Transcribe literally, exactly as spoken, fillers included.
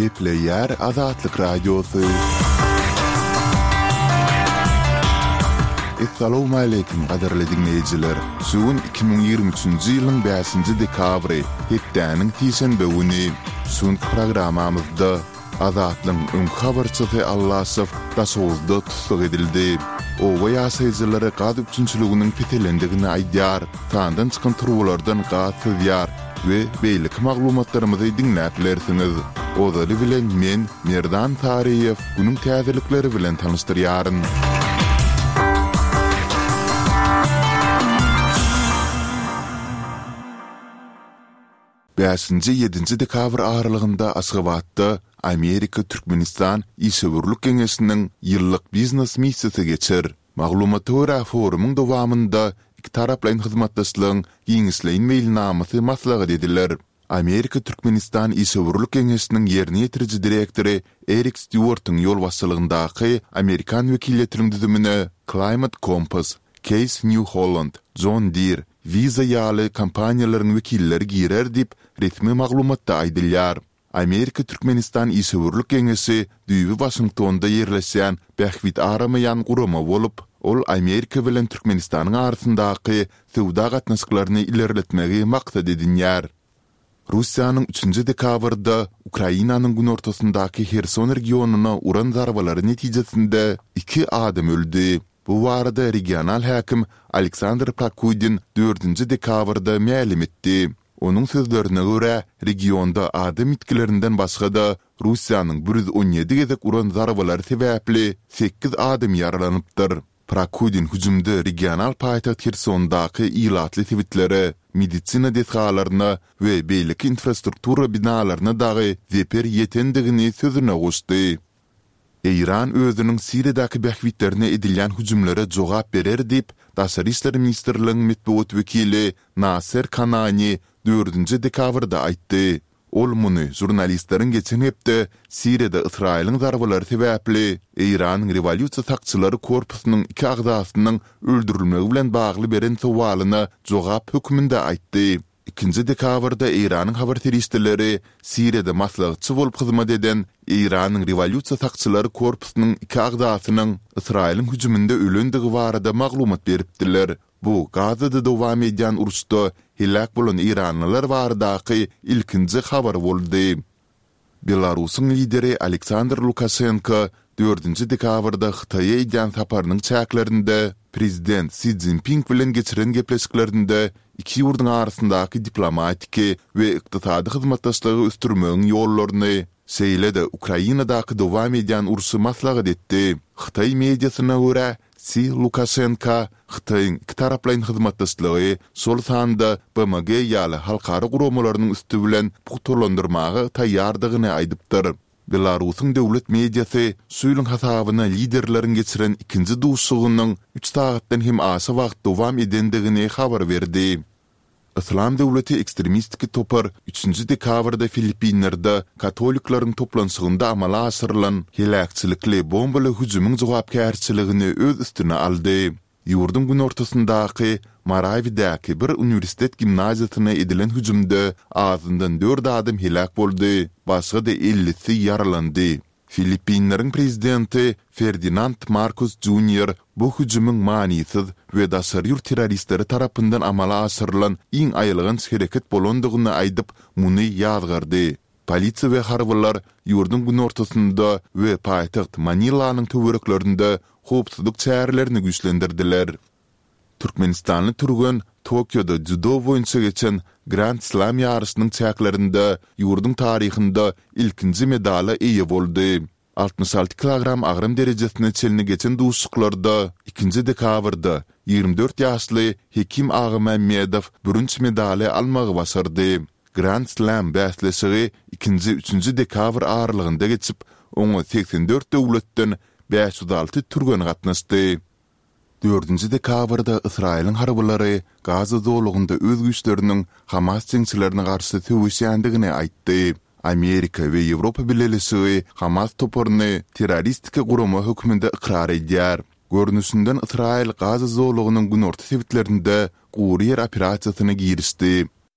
Gepleýär Azatlyk Radiosy. Essalawmaleýkim gadyrly diňleýjiler! Şu gün iki müň ýigrimi üçünji ýylyň bäşinji dekabry, hepdäniň sişenbe güni. Şu günki programmamyzda Azatlygyň öňki habarçysy Allaşow Daşoguzda tussag edildi. Oba ýaşaýjylary gaz üpjünçiliginiň peselendigini aýdýar, sandan çykan turbalardan gaz syzýar we beýleki maglumatlarymyzy diňläp bilersiňiz. Ozaly bilen men, Merdan Saryýew, günüň täzelikleri bilen tanyşdyrýaryn. Bäşinji, ýedinji dekabr aralygynda Aşgabatda Amerika-Türkmenistan işewürlik geňeşiniň ýyllyk biznes missiýasy geçer. Maglumata görä, forumyň dowamynda ikitaraplaýyn hyzmatdaşlygyň giňişleýin meýilnamasy maslahat ediler. Amerika-Türkmenistan işewürlik geňeşiniň ýerine ýetiriji direktory Erik Stýuartyň ýolbaşçylygyndaky amerikan wekiliýetiniň düzümine Climate Compass, Case New Holland, John Deere, Visa ýaly kompaniýalaryň wekilleri girer diýip, resmi maglumatda aýdylýar. Amerika-Türkmenistan işewürlik geňeşi düýbi Waşingtonda ýerleşýän bähbit aramaýan gurama bolup, ol Amerika bilen Türkmenistanyň arasyndaky söwda gatnaşyklaryny ilerletmegi maksat edinýär. Russiýanyň üçünji dekabrda Ukrainanyň günortasyndaky Herson regionyna uran zarbalary netijesinde iki adam öldi. Bu barada regional häkim Aleksandr Prokudin dördünji dekabrda mälim etdi. Onuň sözlerine görä, regionda adam ýitgilerinden başga-da, Russiýanyň bir ýüz on ýedi gezek uran zarbalary sebäpli sekiz adam ýaralanypdyr. Prokudin hüjümde regional paýtagt Hersondaky ilatly sebitlere, medisina desgalaryna we beýleki infrastruktura binalaryna dagy zeper ýetendigini sözüne goşdy. Eýran özüniň Siriýadaky bähbitlerine edilýän hüjümlere jogap berer diýip, Daşary işler ministrligiň metbugat wekili Naser Kanani dördünji dekabrda aýtdy. Ol muny žurnalistleriň geçen hepde Siriýada Ysraýylyň zarbalary sebäpli Eýranyň Rewolýusiýa sakçylary korpusynyň iki agzasynyň öldürilmegi bilen bagly beren sowalyna jogap hökmünde aýtdy. Ikinji dekabrda Eýranyň habar serişdeleri Siriýada maslahatçy bolup hyzmat eden Eýranyň Rewolýusiýa sakçylary korpusynyň iki agzasynyň Ysraýylyň hüjüminde ölendigi barada maglumat beripdiler. Bu Gazada dowam edýän uruşda heläk bolan eýranlylar baradaky ilkinji habar boldy. Belarusyň lideri Aleksandr Lukaşenko dördünji dekabrda Hytaýa edýän saparynyň çäklerinde prezident Si Szinpin bilen geçiren gepleşiklerinde iki ýurduň arasyndaky diplomatiki we ykdysady hyzmatdaşlygy ösdürmegiň ýollaryny, şeýle-de Ukrainadaky dowam edýän urşy maslahat etdi. Hytaý mediasyna görä, Si Lukaşenka Hytaýyň ikitaraplaýyn hyzmatdaşlygy, şol sanda B M G ýaly halkara guramalarynyň üsti bilen pugtalandyrmaga taýýardygyny aýdypdyr. Belarusyň döwlet mediasy şu ýylyň hasabyna liderleriň geçiren ikinji duşuşygynyň üç sagatdan hem aşa wagt dowam edendigini habar berdi. Yslam döwleti ekstremistiki topar üçünji dekabrda Filippinlerde katolikleriň toplanyşygynda amala aşyrylan heläkçilikli bombaly hüjümiň jogapkärçiligini öz üstüne aldy. Ýurduň günortasyndaky Marawidäki bir uniwersitet gimnaziýasyna edilen hüjümde azyndan dört adam heläk boldy, başga-da ellisi ýaralandy. Filippinleriň prezidenti Ferdinand Markos Junior bu hüjümiň manysyz we daşary ýurt terroristleri tarapyndan amala aşyrylan iň aýylganç hereket bolandygyny aýdyp, muny ýazgardy. Polisiýa we harbylar ýurduň günortasynda we paýtagt Manilanyň töwereklerinde howpsuzlyk çärelerini güýçlendirdiler. Türkmenistanly türgen Tokioda dzýudo boýunça geçen Grand Slam ýaryşynyň çäklerinde ýurduň taryhynda ilkinji medala eýe boldy. Altmyş alty kilogram agram derejesine çenli geçen duşuşyklarda ikinji dekabrda ýigrimi dört ýaşly Hekim Agamämmedow bürünç medaly almagy başardy. Grand Slam bäsleşigi ikinji, üçünji dekabr aralygynda geçip, oňa segsen dört döwletden bäş ýüz alty türgen gatnaşdy. Dördünji dekabrda Ysraýylyň harbylary Gaza zolagynda öz güýçleriniň Hamas jeňçilerine garşy söweşýändigini aýtdy. Amerika we Ýewropa Bileleşigi Hamas toparyny terroristiki gurama hökmünde ykrar edýär. Görnüşinden Ysraýyl Gaza zolagynyň günorta sebitlerinde gury ýer operasiýasyna girişdi.